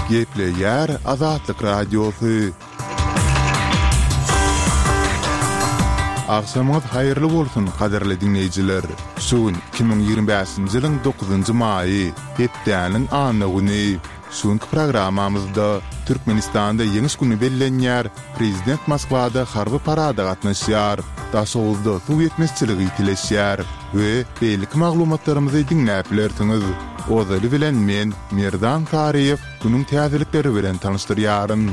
Gepleýär Azatlyk Radiosy. Agşamyňyz haýyrly bolsun, gadyrly diňleýjiler! Şu gün 2025-nji ýylyň dokuzynjy maýy, hepdäniň anna güni. Şu günki programmamyzda Türkmenistanda Ýeňiş güni bellenýär, prezident Moskwada harby parada gatnaşýar, Daşoguzda suw ýetmezçiligi ýitileşýär we beýleki maglumatlarymyzy diňläp bilersiňiz. Ozaly bilen men, Merdan Saryýew, günüň täzelikleri bilen tanyşdyrýaryn.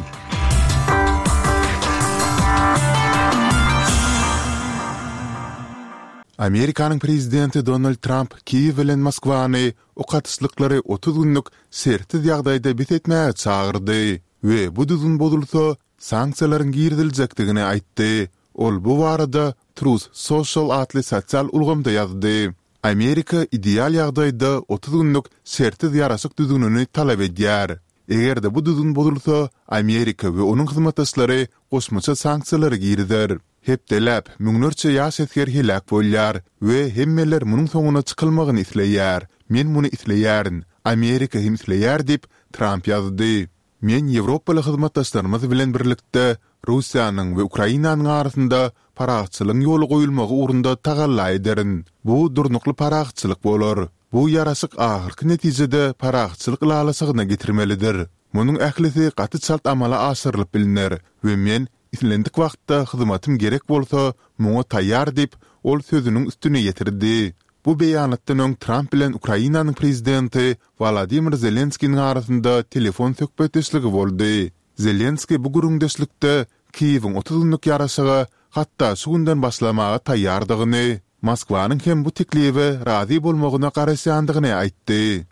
Amerikanyň prezidenti Donald Tramp Kiýew bilen Moskwany ok atyşlyklary 30 günlük şertsiz ýagdaýda bes etmäge çagyrdy we bu düzgün bozulsa, sanksiýalaryň giriziljekdigini aýtdy. Ol bu barada Truth Social atly sosial ulgamda ýazdy. Amerika ideal ýagdaýda 30 günlük şertsiz ýaraşyk düzgünini talap edýär. Eger-de bu düzgün bozulsa, Amerika we onuň hyzmatdaşlary goşmaça sanksiýalary girizer. Hepdeläp, müňlerçe ýaş esger heläk bolýar we hemmeler munuň soňuna çykylmagyny isleýär. Men muny isleýärin, Amerika hem isleýär diýip, Tramp ýazdy. Men ýewropaly hyzmatdaşlarymyz bilen birlikde Russiýanyň we Ukrainanyň arasynda parahatçylygyň ýola goýulmagy ugrunda tagalla ederin. Bu durnukly parahatçylyk bolar. Bu ýaraşyk ahyrky netijede parahatçylyk ylalaşygyna getirmelidir. Munuň ählisi gaty çalt amala aşyrylyp bilner we men Islendik wagtda hyzmatym gerek bolsa, muňa taýýar diýip, ol sözüniň üstüni ýetirdi. Bu beýanatdan öň Tramp bilen Ukrainanyň prezidenti Wolodymyr Zelenskiniň arasynda telefon söhbetdeşligi boldy. Zelenskiý bu gürrüňdeşlikde Kiýewiň 30 günlük ýaraşyga hatda şu günden başlamaga taýýardygyny, Moskwanyň hem bu teklibe razy bolmagyna garaşýandygyny aýtdy.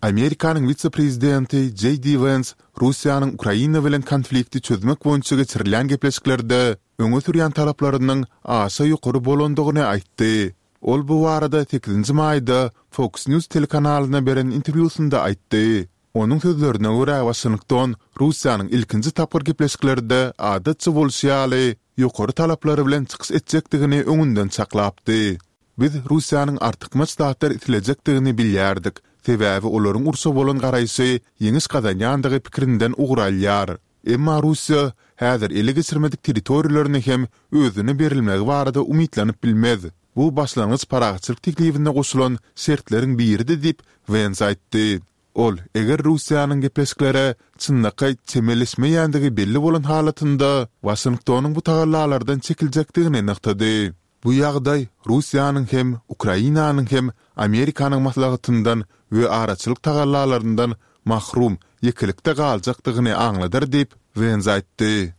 Amerikanyň wise-prezidenti Jeý Di Wens Russiýanyň Ukraina bilen konflikti çözmek boýunça geçirilýän gepleşiklerde öňe sürýän talaplarynyň aşa ýokary bolandygyny aýtdy. Ol bu barada sekizinji maýda Fox News telekanalyna beren interwýusynda aýtdy. Onuň sözlerine görä, Waşington Russiýanyň ilkinji tapgyr gepleşiklerde adatça bolşy ýaly, ýokary talaplary bilen çykyş etjekdigini öňünden çaklapdy. Biz Russiýanyň artykmaç zatlar islejekdigini bilýärdik, sebäbi olaryň urşa bolan garaýşy ýeňiş gazanýandygy pikirinden ugur alýar. Emma Russiýa häzir ele geçirmedik territoriýalaryny hem özüne berilmegi barada umytlanyp bilmez. Bu başlangyç parahatçylyk teklibine goşulan şertleriň biridi diýip, Wens aýtdy. Ol, eger Russiýanyň gepleşiklere çynlakaý çemeleşmeýändigi belli bolan halatynda, Waşingtonyň bu tagallalardan çekiljekdigini nygtady. Bu ýagdaý Russiýanyň hem, Ukrainanyň hem Amerikanyň maslahatyndan we araçylyk tagallalaryndan mahrum ýekelikde galjakdygyny aňladar diýip, Wens aýtdy.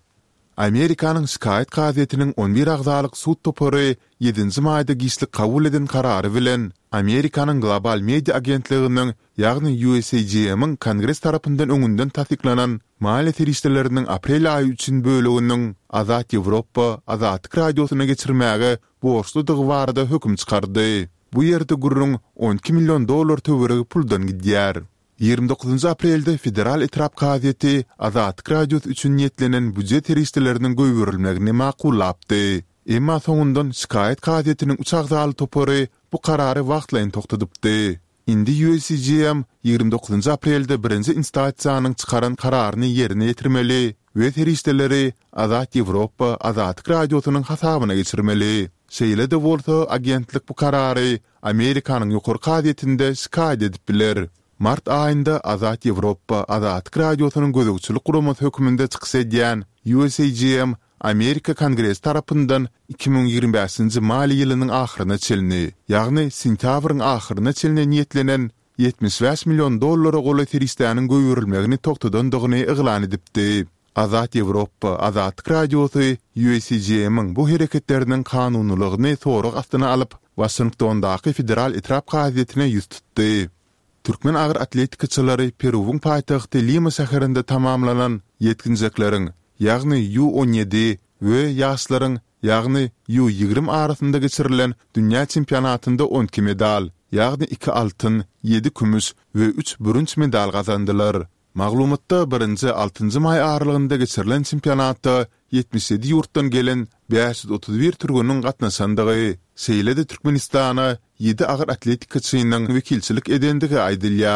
Amerikanyň şikaýat kazyýetiniň on bir agzalyk sud topary ýedinji maýda giçlik kabul eden karary bilen, Amerikanyň Global media agentliginiň ýagny USAGM-iň Kongres tarapyndan öňünden tassyklanan maliýe serişdeleriniň aprel aýy üçin böleginiň Azat Ýewropa, Azatlyk Radiosyna geçirmäge borçludygy barada höküm çykardy. Bu ýerde gürrüň 12 million dollar töweregi puldan gidýär. 29 aprelde Federal etrap kazyýeti Azatlyk Radiosy üçin niýetlenen býujet serişdeleriniň goýberilmegini makullapdy. Emma soňundan şikaýat kazyýetiniň üç agzaly topary bu karary wagtlaýyn togtadypdy. Indi USCGM 29 aprelde birinji instasiýanyň çykaran kararyny ýerine ýetirmeli we serişdeleri Azat Ýewropa Azatlyk Radiosynyň hasabyna geçirmeli. Şeýle-de bolsa, agentlik bu karary Amerikanyň Ýokary kazyýetinde şikaýat edip biler. Mart aýynda Azat Ýewropa Azatlyk Radiosynyň gözegçilik guramasy hökmünde çykyş edýän USAGM Amerika Kongresi tarapyndan 2025-nji maliýe ýylynyň ahyryna çenli, ýagny sentýabryň ahyryna çenli niýetlenen 75 million dollara golaý serişdäniň goýberilmegini togtadandygyny yglan edipdi. Azat Ýewropa, Azatlyk Radiosy USAGM-iň bu hereketleriniň kanunylygyny sorag astyna alyp, Waşingtondaky federal etrap kazyýetine ýüz tutdy. Türkmen agyr atletikaçylary Peruwyň paýtagty Lima şäherinde tamamlanan ýetginjekleriň, ýagny U 17 we ýaşlaryň, ýagny U 20 arasynda geçirilen dünýä çempionatynda 12 medal, ýagny iki altyn, ýedi kümüş we üç bürünç medal gazandylar. Maglumatda birinji, altynjy maý aralygynda geçirilen çempionatda 77 ýurtdan gelen 531 türgeniň gatnaşandygy, şeýle-de Türkmenistana ýedi agyr atletikaçynyň wekilçilik edendigi aýdylýar.